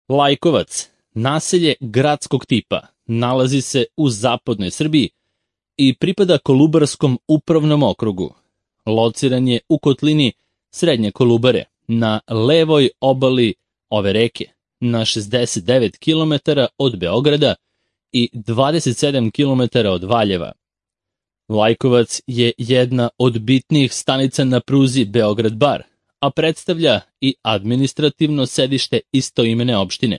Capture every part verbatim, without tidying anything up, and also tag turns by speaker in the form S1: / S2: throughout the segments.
S1: Lajkovac, naselje gradskog tipa, nalazi se u zapadnoj Srbiji i pripada Kolubarskom upravnom okrugu. Lociran je u kotlini Srednje Kolubare, na levoj obali ove reke, na šezdeset devet kilometara od Beograda i dvadeset sedam kilometara od Valjeva. Lajkovac je jedna od bitnijih stanica na pruzi Beograd-Bar, a predstavlja i administrativno sedište istoimene opštine.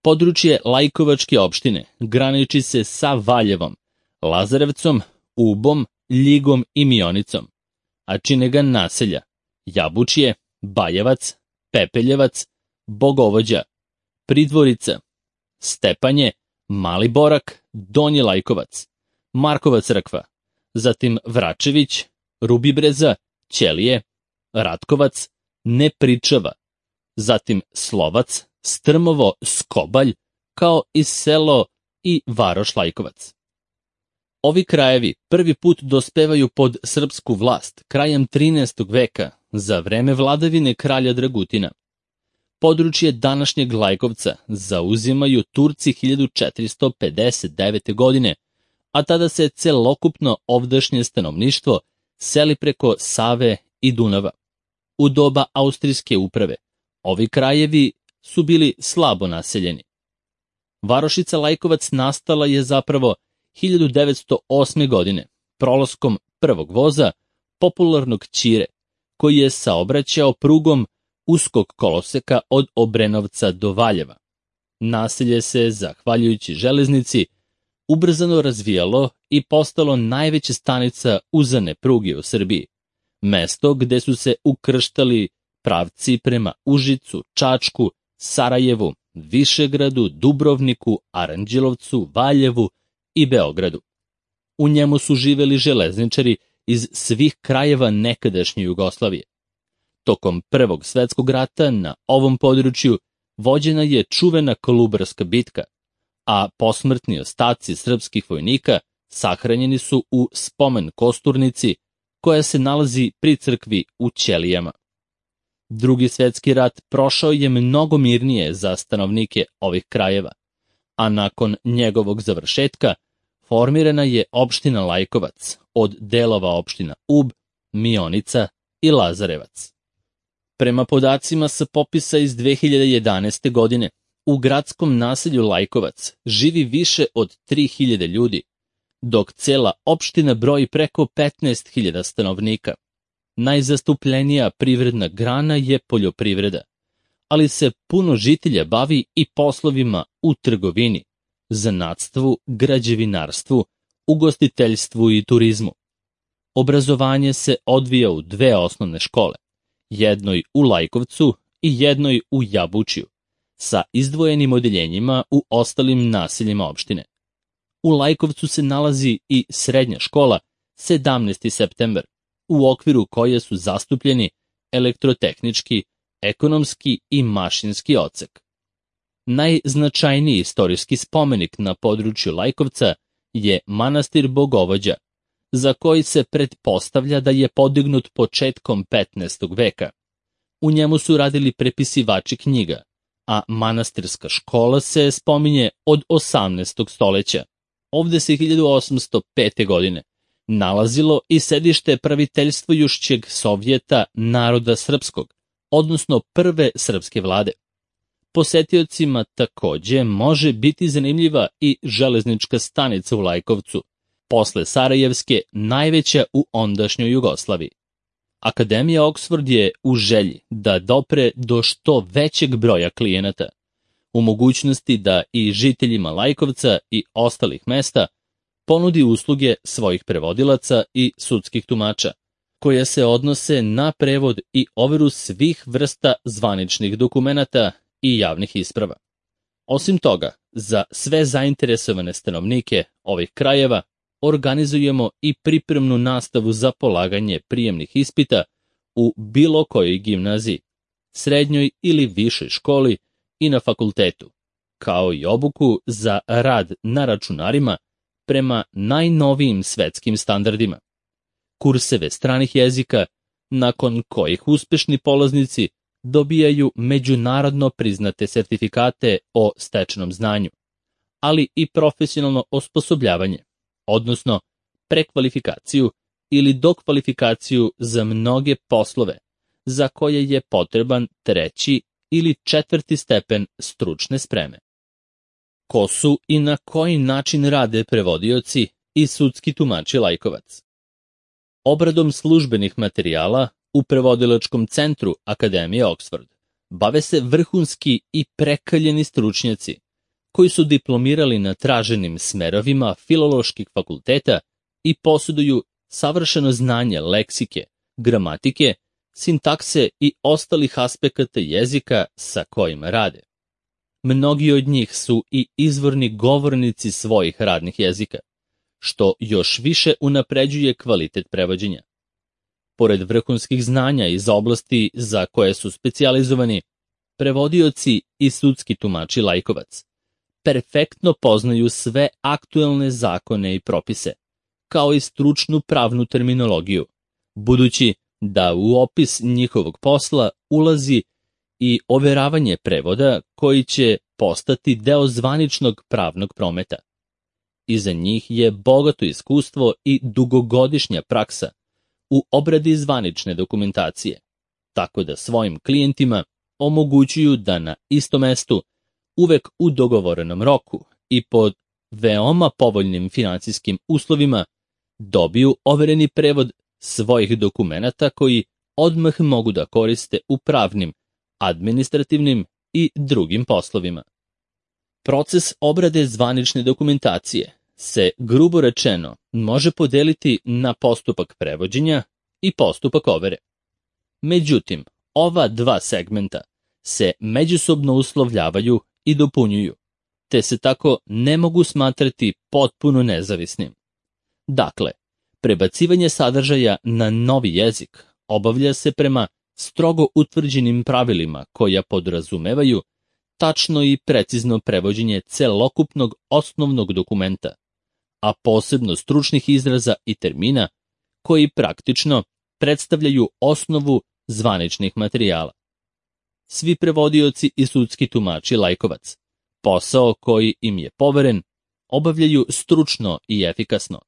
S1: Područje Lajkovačke opštine graniči se sa Valjevom, Lazarevcom, Ubom, Ljigom i Mionicom, a čine ga naselja Jabučje, Bajevac, Pepeljevac, Bogovođa, Pridvorica, Stepanje, Mali Borak, Donji Lajkovac, Markova crkva, zatim Vračević, Rubibreza, Ćelije, Ratkovac, Nepričava, zatim Slovac, Strmovo, Skobalj, kao i selo i varoš Lajkovac. Ovi krajevi prvi put dospevaju pod srpsku vlast krajem trinaestog veka za vreme vladavine kralja Dragutina. Područje današnjeg Lajkovca zauzimaju Turci hiljadu četiristo pedeset devete. godine, a tada se celokupno ovdašnje stanovništvo seli preko Save i Dunava. U doba austrijske uprave ovi krajevi su bili slabo naseljeni. Varošica Lajkovac nastala je zapravo hiljadu devetsto osme. godine, prolaskom prvog voza, popularnog Ćire, koji je saobraćao prugom uskog koloseka od Obrenovca do Valjeva. Naselje se, zahvaljujući železnici, ubrzano razvijalo i postalo najveća stanica uzane pruge u Srbiji, mesto gde su se ukrštali pravci prema Užicu, Čačku, Sarajevu, Višegradu, Dubrovniku, Aranđelovcu, Valjevu i Beogradu. U njemu su živeli železničari iz svih krajeva nekadašnje Jugoslavije. Tokom Prvog svetskog rata na ovom području vođena je čuvena Kolubarska bitka, a posmrtni ostaci srpskih vojnika sahranjeni su u spomen kosturnici koja se nalazi pri crkvi u Ćelijama. Drugi svetski rat prošao je mnogo mirnije za stanovnike ovih krajeva, a nakon njegovog završetka formirana je opština Lajkovac od delova opština Ub, Mionica i Lazarevac. Prema podacima sa popisa iz dve hiljade jedanaeste. godine, u gradskom naselju Lajkovac živi više od tri hiljade ljudi, dok cela opština broji preko petnaest hiljada stanovnika. Najzastupljenija privredna grana je poljoprivreda, ali se puno žitelja bavi i poslovima u trgovini, zanatstvu, građevinarstvu, ugostiteljstvu i turizmu. Obrazovanje se odvija u dve osnovne škole, jednoj u Lajkovcu i jednoj u Jabučju, sa izdvojenim odeljenjima u ostalim naseljima opštine. U Lajkovcu se nalazi i srednja škola sedamnaesti septembar, u okviru koje su zastupljeni elektrotehnički, ekonomski i mašinski odsek. Najznačajniji istorijski spomenik na području Lajkovca je manastir Bogovođa, za koji se pretpostavlja da je podignut početkom petnaestog. veka. U njemu su radili prepisivači knjiga, a manastirska škola se spominje od osamnaestog. stoleća. Ovde se hiljadu osamsto pete. godine nalazilo i sedište praviteljstvujušćeg Sovjeta naroda srpskog, odnosno prve srpske vlade. Posetiocima takođe može biti zanimljiva i železnička stanica u Lajkovcu, posle Sarajevske najveća u ondašnjoj Jugoslaviji. Akademija Oksford je u želji da dopre do što većeg broja klijenata, u mogućnosti da i žiteljima Lajkovca i ostalih mesta ponudi usluge svojih prevodilaca i sudskih tumača, koje se odnose na prevod i overu svih vrsta zvaničnih dokumenata i javnih isprava. Osim toga, za sve zainteresovane stanovnike ovih krajeva organizujemo i pripremnu nastavu za polaganje prijemnih ispita u bilo kojoj gimnaziji, srednjoj ili višoj školi i na fakultetu, kao i obuku za rad na računarima prema najnovijim svetskim standardima. Kurseve stranih jezika, nakon kojih uspešni polaznici dobijaju međunarodno priznate sertifikate o stečenom znanju, ali i profesionalno osposobljavanje, odnosno prekvalifikaciju ili dokvalifikaciju za mnoge poslove za koje je potreban treći ili četvrti stepen stručne spreme. Ko su i na koji način rade prevodioci i sudski tumači lajkovac? Obradom službenih materijala u prevodilačkom centru Akademije Oxford bave se vrhunski i prekaljeni stručnjaci koji su diplomirali na traženim smerovima filoloških fakulteta i posjeduju savršeno znanje leksike, gramatike, sintakse i ostalih aspekata jezika sa kojima rade. Mnogi od njih su i izvorni govornici svojih radnih jezika, što još više unapređuje kvalitet prevođenja. Pored vrhunskih znanja iz oblasti za koje su specijalizovani, prevodioci i sudski tumači lajkovac perfektno poznaju sve aktuelne zakone i propise, kao i stručnu pravnu terminologiju, budući da u opis njihovog posla ulazi i overavanje prevoda koji će postati deo zvaničnog pravnog prometa. Iza njih je bogato iskustvo i dugogodišnja praksa u obradi zvanične dokumentacije, tako da svojim klijentima omogućuju da na istom mestu, uvek u dogovorenom roku i pod veoma povoljnim financijskim uslovima, dobiju overeni prevod svojih dokumenata koji odmah mogu da koriste u pravnim, administrativnim i drugim poslovima. Proces obrade zvanične dokumentacije se, grubo rečeno, može podeliti na postupak prevođenja i postupak overe. Međutim, ova dva segmenta se međusobno uslovljavaju i dopunjuju, te se tako ne mogu smatrati potpuno nezavisnim. Dakle, prebacivanje sadržaja na novi jezik obavlja se prema strogo utvrđenim pravilima koja podrazumevaju tačno i precizno prevođenje celokupnog osnovnog dokumenta, a posebno stručnih izraza i termina koji praktično predstavljaju osnovu zvaničnih materijala. Svi prevodioci i sudski tumači lajkovac posao koji im je poveren obavljaju stručno i efikasno,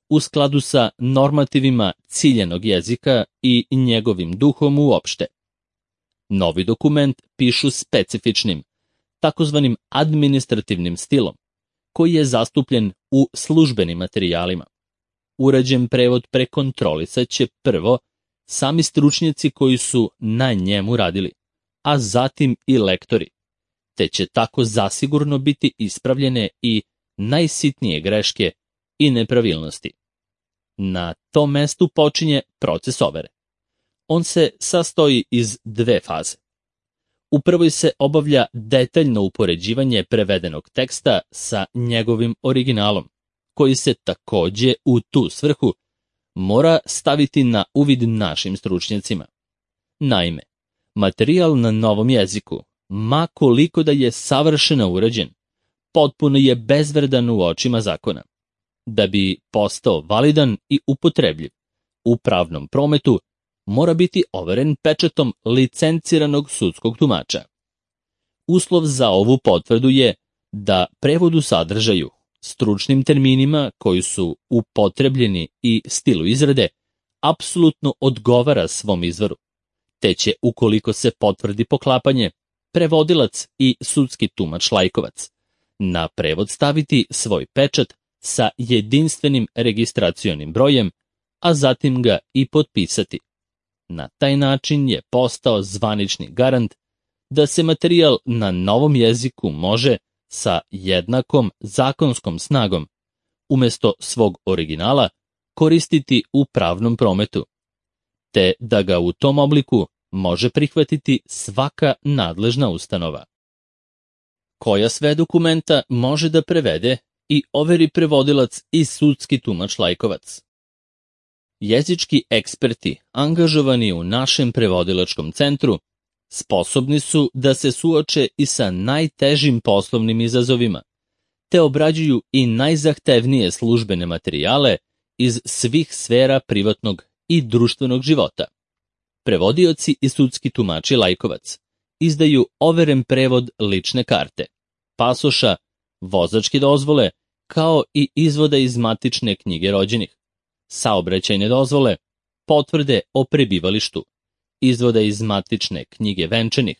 S1: u skladu sa normativima ciljanog jezika i njegovim duhom uopšte. Novi dokument pišu specifičnim, takozvanim administrativnim stilom, koji je zastupljen u službenim materijalima. Urađen prevod prekontrolisat će prvo sami stručnjaci koji su na njemu radili, a zatim i lektori, te će tako zasigurno biti ispravljene i najsitnije greške i nepravilnosti. Na tom mestu počinje proces overe. On se sastoji iz dve faze. U prvoj se obavlja detaljno upoređivanje prevedenog teksta sa njegovim originalom, koji se takođe u tu svrhu mora staviti na uvid našim stručnjacima. Naime, materijal na novom jeziku, ma koliko da je savršeno urađen, potpuno je bezvredan u očima zakona. Da bi postao validan i upotrebljiv u pravnom prometu, mora biti overen pečatom licenciranog sudskog tumača. Uslov za ovu potvrdu je da prevod u sadržaju, stručnim terminima koji su upotrebljeni i stilu izrade, apsolutno odgovara svom izvoru, te će, ukoliko se potvrdi poklapanje, prevodilac i sudski tumač lajkovac na prevod staviti svoj pečat sa jedinstvenim registracionim brojem, a zatim ga i potpisati. Na taj način je postao zvanični garant da se materijal na novom jeziku može sa jednakom zakonskom snagom umesto svog originala koristiti u pravnom prometu, te da ga u tom obliku može prihvatiti svaka nadležna ustanova. Koja sve dokumenta može da prevede i overi prevodilac i sudski tumač lajkovac? Jezički eksperti angažovani u našem prevodilačkom centru sposobni su da se suoče i sa najtežim poslovnim izazovima, te obrađuju i najzahtevnije službene materijale iz svih sfera privatnog i društvenog života. Prevodioci i sudski tumači Lajkovac izdaju overen prevod lične karte, pasoša, vozačke dozvole, kao i izvoda iz matične knjige rođenih, saobraćajne dozvole, potvrde o prebivalištu, izvoda iz matične knjige venčanih,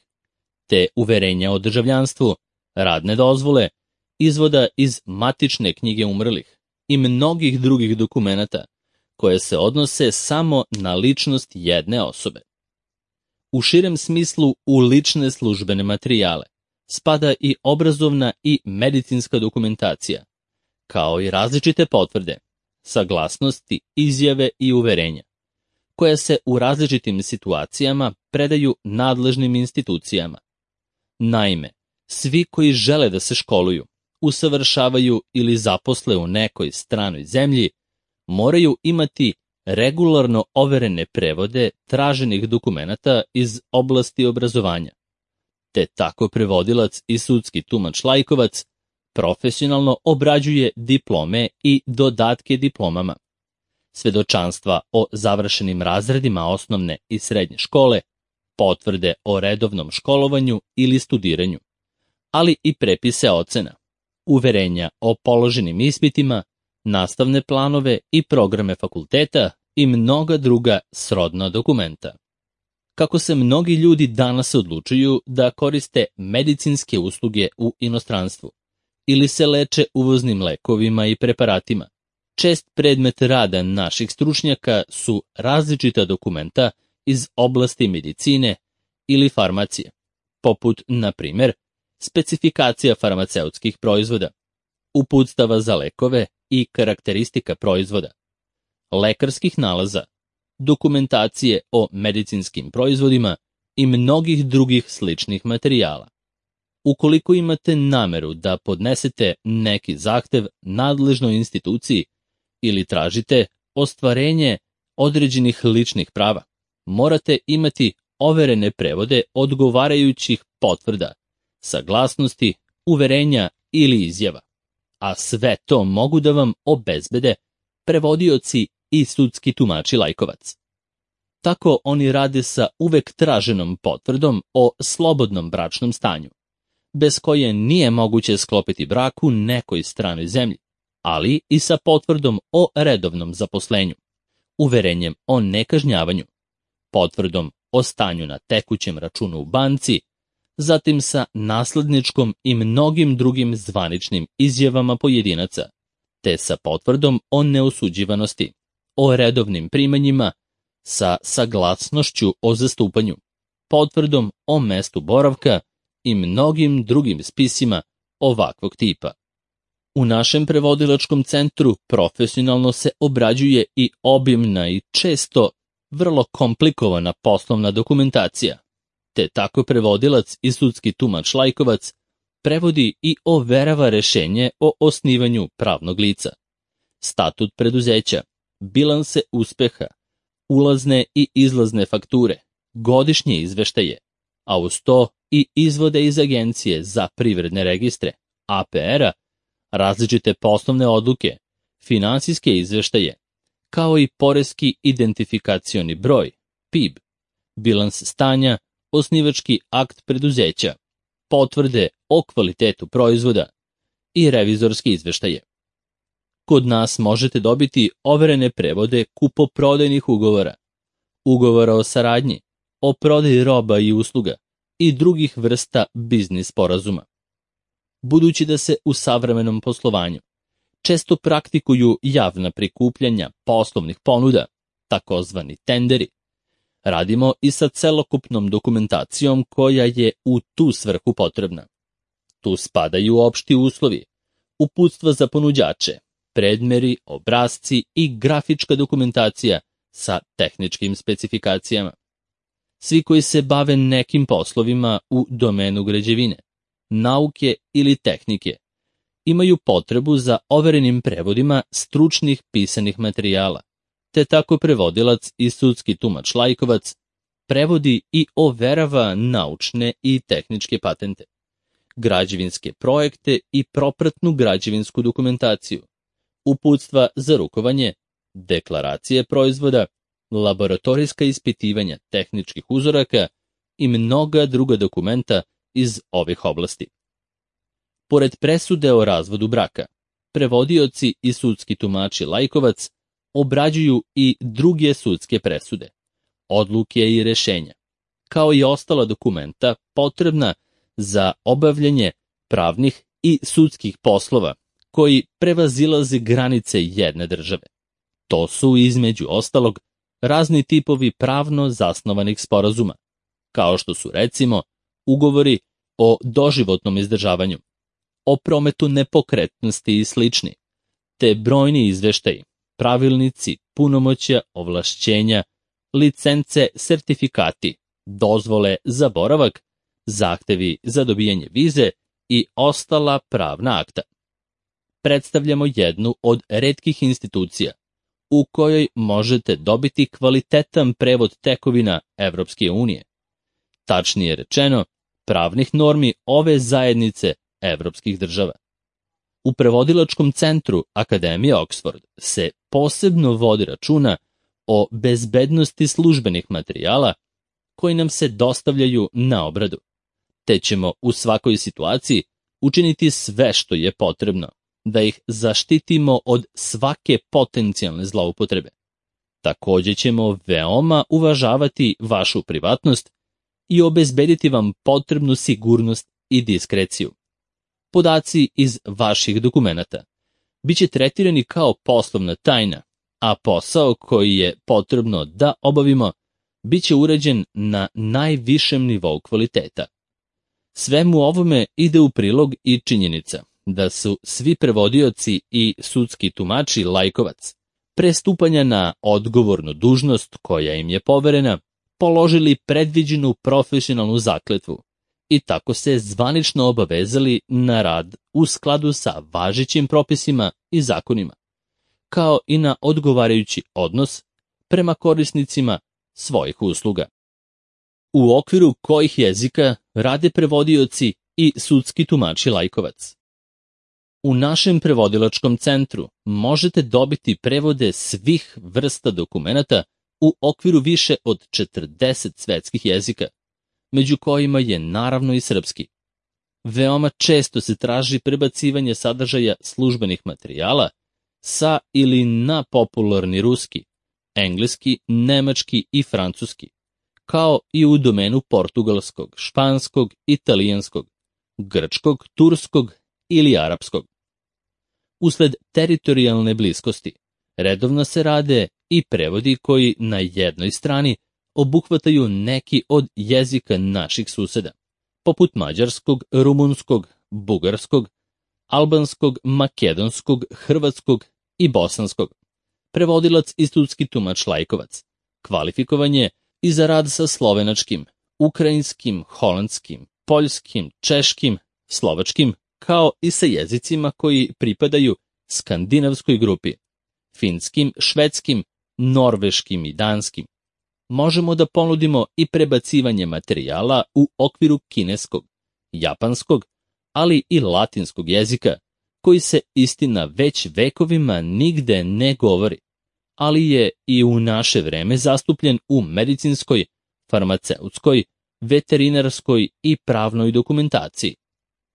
S1: te uverenja o državljanstvu, radne dozvole, izvoda iz matične knjige umrlih i mnogih drugih dokumenata koje se odnose samo na ličnost jedne osobe. U širem smislu u lične službene materijale spada i obrazovna i medicinska dokumentacija, kao i različite potvrde, saglasnosti, izjave i uverenja, koje se u različitim situacijama predaju nadležnim institucijama. Naime, svi koji žele da se školuju, usavršavaju ili zaposle u nekoj stranoj zemlji, moraju imati regularno overene prevode traženih dokumenata iz oblasti obrazovanja. Te tako prevodilac i sudski tumač Lajkovac profesionalno obrađuje diplome i dodatke diplomama, svedočanstva o završenim razredima osnovne i srednje škole, potvrde o redovnom školovanju ili studiranju, ali i prepise ocena, uverenja o položenim ispitima, nastavne planove i programe fakulteta i mnoga druga srodna dokumenta. Kako se mnogi ljudi danas odlučuju da koriste medicinske usluge u inostranstvu ili se leče uvoznim lekovima i preparatima, čest predmet rada naših stručnjaka su različita dokumenta iz oblasti medicine ili farmacije, poput, na primjer, specifikacija farmaceutskih proizvoda, uputstava za lekove i karakteristika proizvoda, lekarskih nalaza, dokumentacije o medicinskim proizvodima i mnogih drugih sličnih materijala. Ukoliko imate nameru da podnesete neki zahtev nadležnoj instituciji ili tražite ostvarenje određenih ličnih prava, morate imati overene prevode odgovarajućih potvrda, saglasnosti, uverenja ili izjava, a sve to mogu da vam obezbede prevodioci i sudski tumači Lajkovac. Tako oni rade sa uvek traženom potvrdom o slobodnom bračnom stanju, bez koje nije moguće sklopiti brak u nekoj stranoj zemlji, ali i sa potvrdom o redovnom zaposlenju, uverenjem o nekažnjavanju, potvrdom o stanju na tekućem računu u banci, zatim sa nasledničkom i mnogim drugim zvaničnim izjavama pojedinaca, te sa potvrdom o neosuđivanosti, o redovnim primanjima, sa saglasnošću o zastupanju, potvrdom o mestu boravka i mnogim drugim spisima ovakvog tipa. U našem prevodilačkom centru profesionalno se obrađuje i obimna i često vrlo komplikovana poslovna dokumentacija, te tako prevodilac i sudski tumač Lajkovac prevodi i overava rešenje o osnivanju pravnog lica, statut preduzeća, bilanse uspeha, ulazne i izlazne fakture, godišnje izveštaje, a uz to i izvode iz Agencije za privredne registre, A P R-a, različite poslovne odluke, finansijske izveštaje, kao i poreski identifikacioni broj, P I B, bilans stanja, osnivački akt preduzeća, potvrde o kvalitetu proizvoda i revizorski izveštaje. Kod nas možete dobiti overene prevode kupoprodajnih ugovora, ugovora o saradnji, o prodaji roba i usluga i drugih vrsta biznis sporazuma. Budući da se u savremenom poslovanju često praktikuju javna prikupljanja poslovnih ponuda, takozvani tenderi, radimo i sa celokupnom dokumentacijom koja je u tu svrhu potrebna. Tu spadaju opšti uslovi, uputstva za ponuđače, predmeri, obrasci i grafička dokumentacija sa tehničkim specifikacijama. Svi koji se bave nekim poslovima u domenu građevine, nauke ili tehnike, imaju potrebu za overenim prevodima stručnih pisanih materijala, te tako prevodilac i sudski tumač Lajkovac prevodi i overava naučne i tehničke patente, građevinske projekte i propratnu građevinsku dokumentaciju, uputstva za rukovanje, deklaracije proizvoda, laboratorijska ispitivanja tehničkih uzoraka i mnoga druga dokumenta iz ovih oblasti. Pored presude o razvodu braka, prevodioci i sudski tumači Lajkovac obrađuju i druge sudske presude, odluke i rešenja, kao i ostala dokumenta potrebna za obavljanje pravnih i sudskih poslova koji prevazilaze granice jedne države. To su, između ostalog, razni tipovi pravno zasnovanih sporazuma, kao što su, recimo, ugovori o doživotnom izdržavanju, o prometu nepokretnosti i slični, te brojni izveštaji, pravilnici, punomoćja, ovlašćenja, licence, sertifikati, dozvole za boravak, zahtevi za dobijanje vize i ostala pravna akta. Predstavljamo jednu od retkih institucija u kojoj možete dobiti kvalitetan prevod tekovina Evropske unije, tačnije rečeno, pravnih normi ove zajednice evropskih država. U prevodilačkom centru Akademije Oxford se posebno vodi računa o bezbednosti službenih materijala koji nam se dostavljaju na obradu, te ćemo u svakoj situaciji učiniti sve što je potrebno da ih zaštitimo od svake potencijalne zloupotrebe. Takođe ćemo veoma uvažavati vašu privatnost i obezbediti vam potrebnu sigurnost i diskreciju. Podaci iz vaših dokumenata biće tretirani kao poslovna tajna, a posao koji je potrebno da obavimo biće urađen na najvišem nivou kvaliteta. Svemu ovome ide u prilog i činjenica da su svi prevodioci i sudski tumači Lajkovac pre stupanja na odgovornu dužnost koja im je poverena položili predviđenu profesionalnu zakletvu i tako se zvanično obavezali na rad u skladu sa važećim propisima i zakonima, kao i na odgovarajući odnos prema korisnicima svojih usluga. U okviru kojih jezika rade prevodioci i sudski tumači Lajkovac? U našem prevodilačkom centru možete dobiti prevode svih vrsta dokumenata u okviru više od četrdeset svetskih jezika, među kojima je naravno i srpski. Veoma često se traži prebacivanje sadržaja službenih materijala sa ili na popularni ruski, engleski, nemački i francuski, kao i u domenu portugalskog, španskog, italijanskog, grčkog, turskog ili arapskog. Usled teritorijalne bliskosti, redovno se rade i prevodi koji na jednoj strani obuhvataju neki od jezika naših suseda, poput mađarskog, rumunskog, bugarskog, albanskog, makedonskog, hrvatskog i bosanskog. Prevodilac i sudski tumač Lajkovac kvalifikovan je i za rad sa slovenačkim, ukrajinskim, holandskim, poljskim, češkim, slovačkim, kao i sa jezicima koji pripadaju skandinavskoj grupi, finskim, švedskim, norveškim i danskim. Možemo da ponudimo i prebacivanje materijala u okviru kineskog, japanskog, ali i latinskog jezika, koji se istina već vekovima nigde ne govori, ali je i u naše vreme zastupljen u medicinskoj, farmaceutskoj, veterinarskoj i pravnoj dokumentaciji.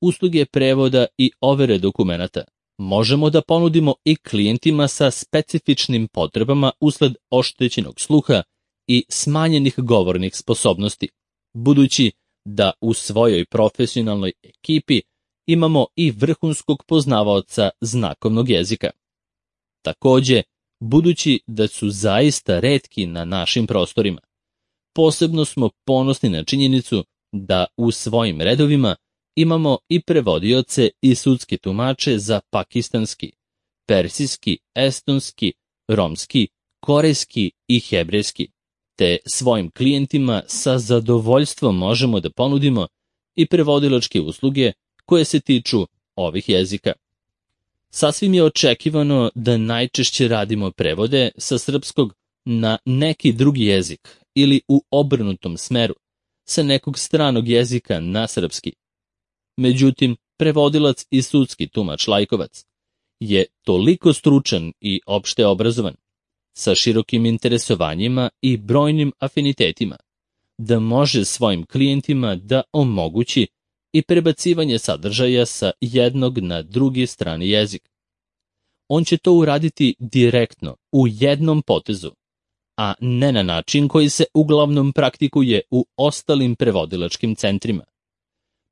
S1: Usluge prevoda i overe dokumenata možemo da ponudimo i klijentima sa specifičnim potrebama usled oštećenog sluha i smanjenih govornih sposobnosti, budući da u svojoj profesionalnoj ekipi imamo i vrhunskog poznavaoca znakovnog jezika. Takođe, budući da su zaista retki na našim prostorima, posebno smo ponosni na činjenicu da u svojim redovima imamo i prevodioce i sudske tumače za pakistanski, persijski, estonski, romski, korejski i hebrejski, te svojim klijentima sa zadovoljstvom možemo da ponudimo i prevodilačke usluge koje se tiču ovih jezika. Sasvim je očekivano da najčešće radimo prevode sa srpskog na neki drugi jezik ili u obrnutom smeru, sa nekog stranog jezika na srpski. Međutim, prevodilac i sudski tumač Lajkovac je toliko stručan i opšte obrazovan, sa širokim interesovanjima i brojnim afinitetima, da može svojim klijentima da omogući i prebacivanje sadržaja sa jednog na drugi strani jezik. On će to uraditi direktno, u jednom potezu, a ne na način koji se uglavnom praktikuje u ostalim prevodilačkim centrima.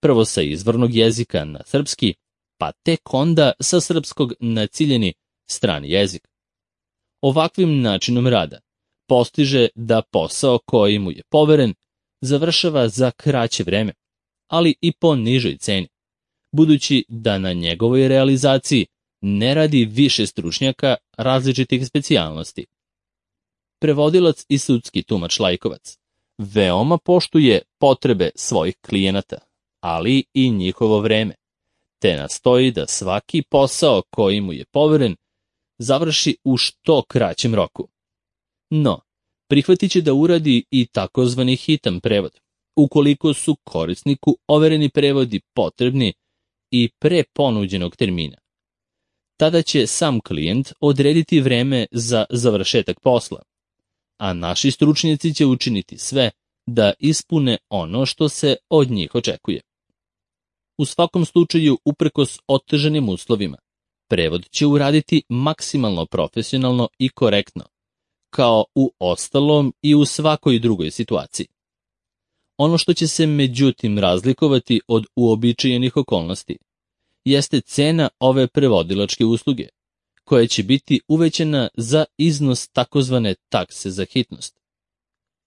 S1: Prvo sa izvornog jezika na srpski, pa tek onda sa srpskog na ciljeni strani jezik. Ovakvim načinom rada postiže da posao koji mu je poveren završava za kraće vreme, ali i po nižoj ceni, budući da na njegovoj realizaciji ne radi više stručnjaka različitih specijalnosti. Prevodilac i sudski tumač laikovac veoma poštuje potrebe svojih klijenata, ali i njihovo vreme, te nastoji da svaki posao koji mu je poveren završi u što kraćem roku. No, prihvatit će da uradi i takozvani hitan prevod, ukoliko su korisniku overeni prevodi potrebni i pre ponuđenog termina. Tada će sam klijent odrediti vreme za završetak posla, a naši stručnjaci će učiniti sve da ispune ono što se od njih očekuje. U svakom slučaju, uprkos otežanim uslovima, prevod će uraditi maksimalno profesionalno i korektno, kao u ostalom i u svakoj drugoj situaciji. Ono što će se međutim razlikovati od uobičajenih okolnosti jeste cena ove prevodilačke usluge, koja će biti uvećana za iznos takozvane takse za hitnost.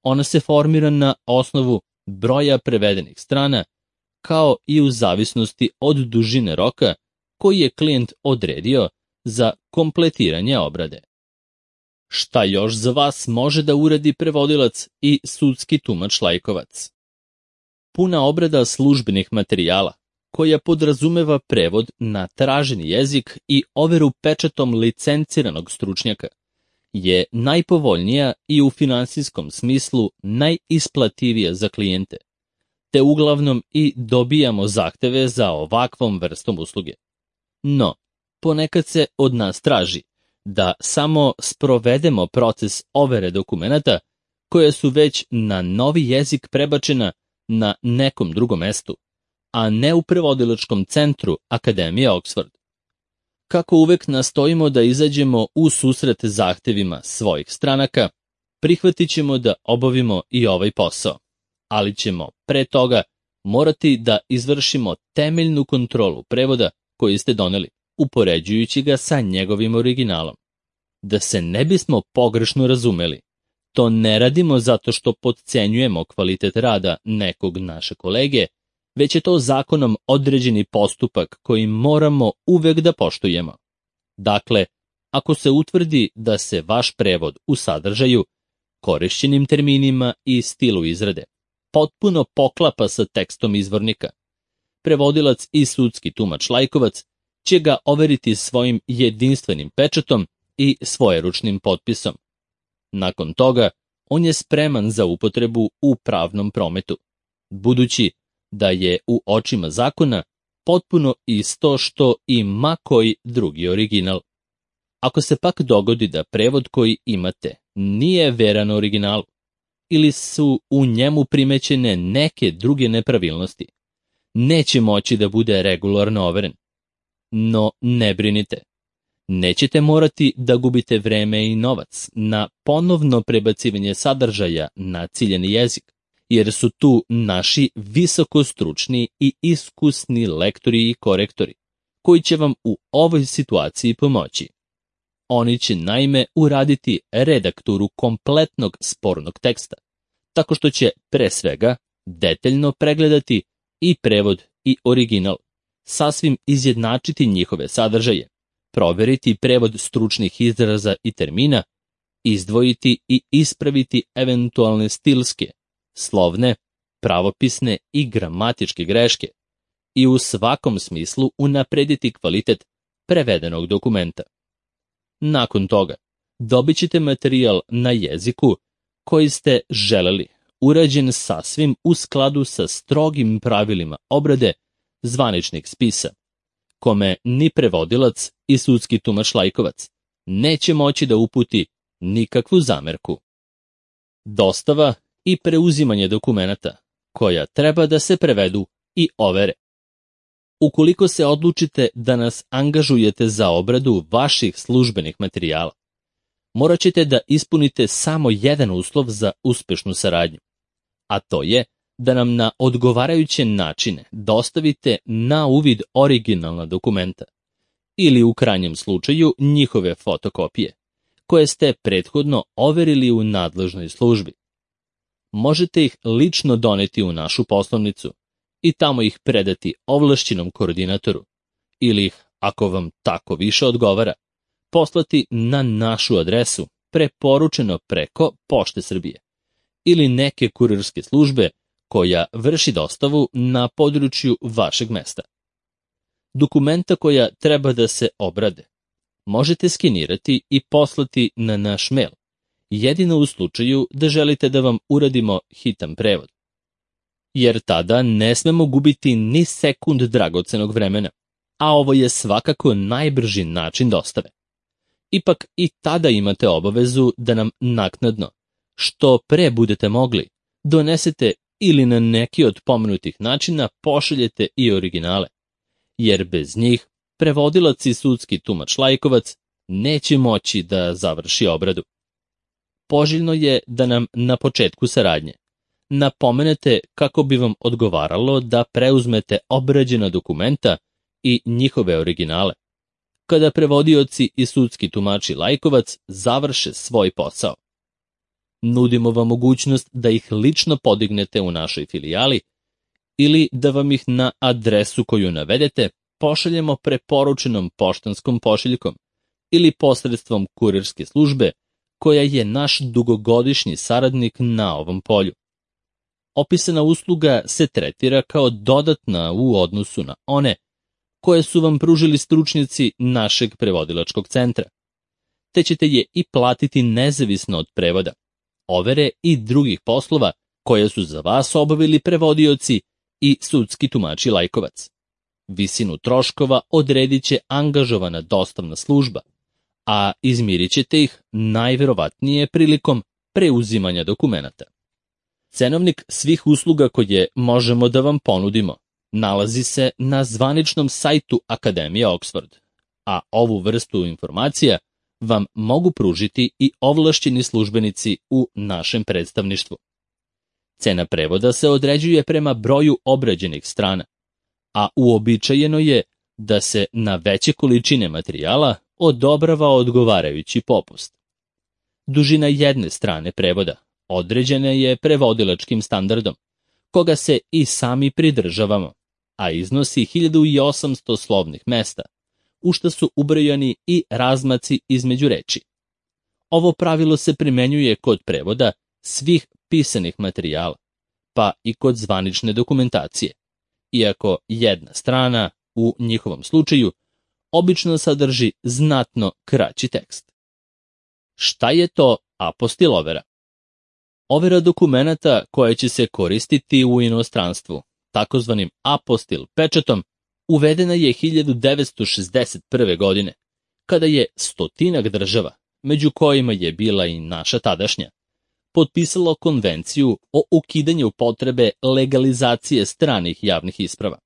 S1: Ona se formira na osnovu broja prevedenih strana, kao i u zavisnosti od dužine roka koji je klijent odredio za kompletiranje obrade. Šta još za vas može da uradi prevodilac i sudski tumač laikovac? Puna obrada službenih materijala, koja podrazumeva prevod na traženi jezik i overu pečatom licenciranog stručnjaka, je najpovoljnija i u finansijskom smislu najisplativija za klijente, te uglavnom i dobijamo zahteve za ovakvom vrstom usluge. No, ponekad se od nas traži da samo sprovedemo proces overe dokumenata koja su već na novi jezik prebačena na nekom drugom mestu, a ne u prevodilačkom centru Akademije Oxford. Kako uvek nastojimo da izađemo u susret zahtevima svojih stranaka, prihvatit ćemo da obavimo i ovaj posao, ali ćemo pre toga morati da izvršimo temeljnu kontrolu prevoda koji ste doneli, upoređujući ga sa njegovim originalom. Da se ne bismo pogrešno razumeli, to ne radimo zato što potcenjujemo kvalitet rada nekog naše kolege, već je to zakonom određeni postupak koji moramo uvek da poštujemo. Dakle, ako se utvrdi da se vaš prevod u sadržaju, korišćenim terminima i stilu izrade potpuno poklapa sa tekstom izvornika, prevodilac i sudski tumač laikovac će ga overiti svojim jedinstvenim pečatom i svojeručnim potpisom. Nakon toga, on je spreman za upotrebu u pravnom prometu, budući da je u očima zakona potpuno isto što i ma koji drugi original. Ako se pak dogodi da prevod koji imate nije veran originalu ili su u njemu primećene neke druge nepravilnosti, neće moći da bude regularno overen. No ne brinite, nećete morati da gubite vreme i novac na ponovno prebacivanje sadržaja na ciljeni jezik, jer su tu naši visokostručni i iskusni lektori i korektori, koji će vam u ovoj situaciji pomoći. Oni će naime uraditi redakturu kompletnog spornog teksta, tako što će pre svega detaljno pregledati i prevod i original, sasvim izjednačiti njihove sadržaje, proveriti prevod stručnih izraza i termina, izdvojiti i ispraviti eventualne stilske, slovne, pravopisne i gramatičke greške i u svakom smislu unaprediti kvalitet prevedenog dokumenta. Nakon toga, dobit ćete materijal na jeziku koji ste želeli, urađen sasvim u skladu sa strogim pravilima obrade zvaničnih spisa, kome ni prevodilac i sudski tumač laikovac neće moći da uputi nikakvu zamerku. Dostava i preuzimanje dokumenata, koja treba da se prevedu i overe. Ukoliko se odlučite da nas angažujete za obradu vaših službenih materijala, morat ćete da ispunite samo jedan uslov za uspešnu saradnju, a to je da nam na odgovarajuće načine dostavite na uvid originalna dokumenta ili u krajnjem slučaju njihove fotokopije, koje ste prethodno overili u nadležnoj službi. Možete ih lično doneti u našu poslovnicu i tamo ih predati ovlašćenom koordinatoru ili ih, ako vam tako više odgovara, poslati na našu adresu preporučeno preko Pošte Srbije ili neke kurirske službe koja vrši dostavu na području vašeg mesta. Dokumenta koja treba da se obrade možete skenirati i poslati na naš mail, jedino u slučaju da želite da vam uradimo hitan prevod. Jer tada ne smemo gubiti ni sekund dragocenog vremena, a ovo je svakako najbrži način dostave. Ipak i tada imate obavezu da nam naknadno, što pre budete mogli, donesete ili na neki od pomenutih načina pošaljete i originale, jer bez njih prevodilac i sudski tumač Lajkovac neće moći da završi obradu. Poželjno je da nam na početku saradnje napomenete kako bi vam odgovaralo da preuzmete obrađena dokumenta i njihove originale, kada prevodioci i sudski tumači Lajkovac završe svoj posao. Nudimo vam mogućnost da ih lično podignete u našoj filijali ili da vam ih na adresu koju navedete pošaljemo preporučenom poštanskom pošiljkom ili posredstvom kurirske službe koja je naš dugogodišnji saradnik na ovom polju. Opisana usluga se tretira kao dodatna u odnosu na one koje su vam pružili stručnjaci našeg prevodilačkog centra, te ćete je i platiti nezavisno od prevoda, overe i drugih poslova koje su za vas obavili prevodioci i sudski tumači Lajkovac. Visinu troškova odredit će angažovana dostavna služba, a izmirit ćete ih najverovatnije prilikom preuzimanja dokumenata. Cenovnik svih usluga koje možemo da vam ponudimo nalazi se na zvaničnom sajtu Akademije Oxford, a ovu vrstu informacija vam mogu pružiti i ovlašćeni službenici u našem predstavništvu. Cena prevoda se određuje prema broju obrađenih strana, a uobičajeno je da se na veće količine materijala odobrava odgovarajući popust. Dužina jedne strane prevoda određena je prevodilačkim standardom, koga se i sami pridržavamo, a iznosi hiljadu osamsto slovnih mesta, u što su ubrojani i razmaci između reči. Ovo pravilo se primenjuje kod prevoda svih pisanih materijala, pa i kod zvanične dokumentacije, iako jedna strana, u njihovom slučaju, obično sadrži znatno kraći tekst. Šta je to apostil overa? Overa dokumenata koja će se koristiti u inostranstvu, takozvanim apostil pečatom, uvedena je hiljadu devetsto šezdeset prve. godine, kada je stotinak država, među kojima je bila i naša tadašnja, potpisalo konvenciju o ukidanju potrebe legalizacije stranih javnih isprava.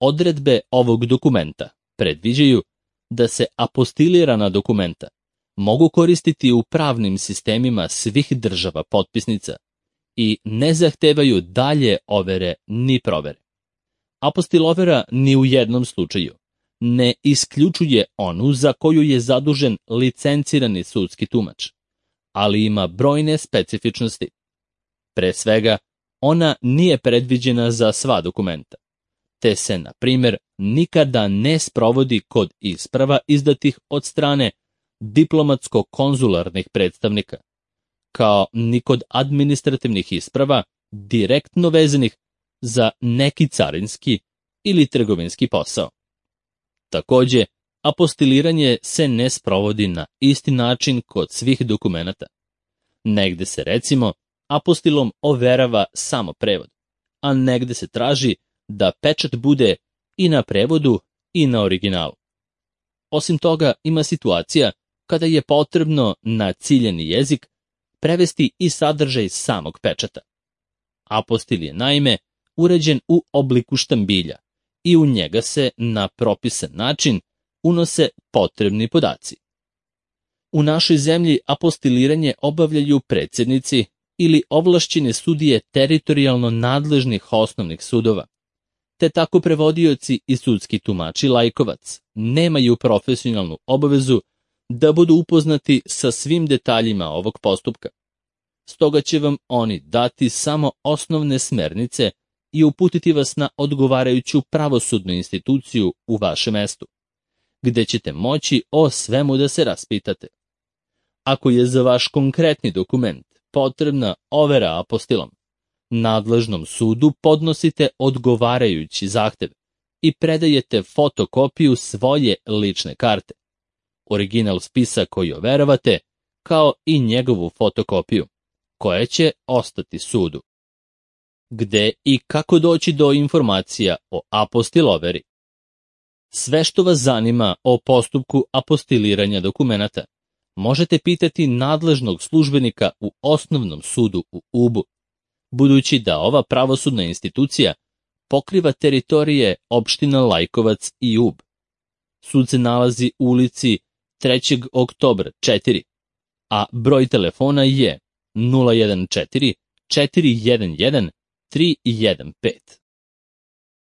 S1: Odredbe ovog dokumenta predviđaju da se apostilirana dokumenta mogu koristiti u pravnim sistemima svih država potpisnica i ne zahtevaju dalje overe ni provere. Apostil overa ni u jednom slučaju ne isključuje onu za koju je zadužen licencirani sudski tumač, ali ima brojne specifičnosti. Pre svega, ona nije predviđena za sva dokumenta, te se, na primjer, nikada ne sprovodi kod isprava izdatih od strane diplomatsko-konzularnih predstavnika, kao ni kod administrativnih isprava direktno vezanih za neki carinski ili trgovinski posao. Takođe, apostiliranje se ne sprovodi na isti način kod svih dokumenata. Negde se, recimo, apostilom overava samo prevod, a negde se traži da pečat bude i na prevodu i na originalu. Osim toga, ima situacija kada je potrebno na ciljani jezik prevesti i sadržaj samog pečata. Apostil je naime uređen u obliku štambilja i u njega se na propisan način unose potrebni podaci. U našoj zemlji apostiliranje obavljaju predsjednici ili ovlašćene sudije teritorijalno nadležnih osnovnih sudova, te tako prevodioci i sudski tumači laikovac nemaju profesionalnu obavezu da budu upoznati sa svim detaljima ovog postupka. Stoga će vam oni dati samo osnovne smernice i uputiti vas na odgovarajuću pravosudnu instituciju u vašem mestu, gde ćete moći o svemu da se raspitate. Ako je za vaš konkretni dokument potrebna overa apostilom, nadležnom sudu podnosite odgovarajući zahtev i predajete fotokopiju svoje lične karte, original spisa koji overavate, kao i njegovu fotokopiju, koja će ostati sudu. Gde i kako doći do informacija o apostiloveri? Sve što vas zanima o postupku apostiliranja dokumenata možete pitati nadležnog službenika u osnovnom sudu u Ubu, budući da ova pravosudna institucija pokriva teritorije opština Lajkovac i Ub. Sud se nalazi u ulici trećeg oktobra četiri, a broj telefona je nula jedan četiri četiri jedan jedan tri jedan pet.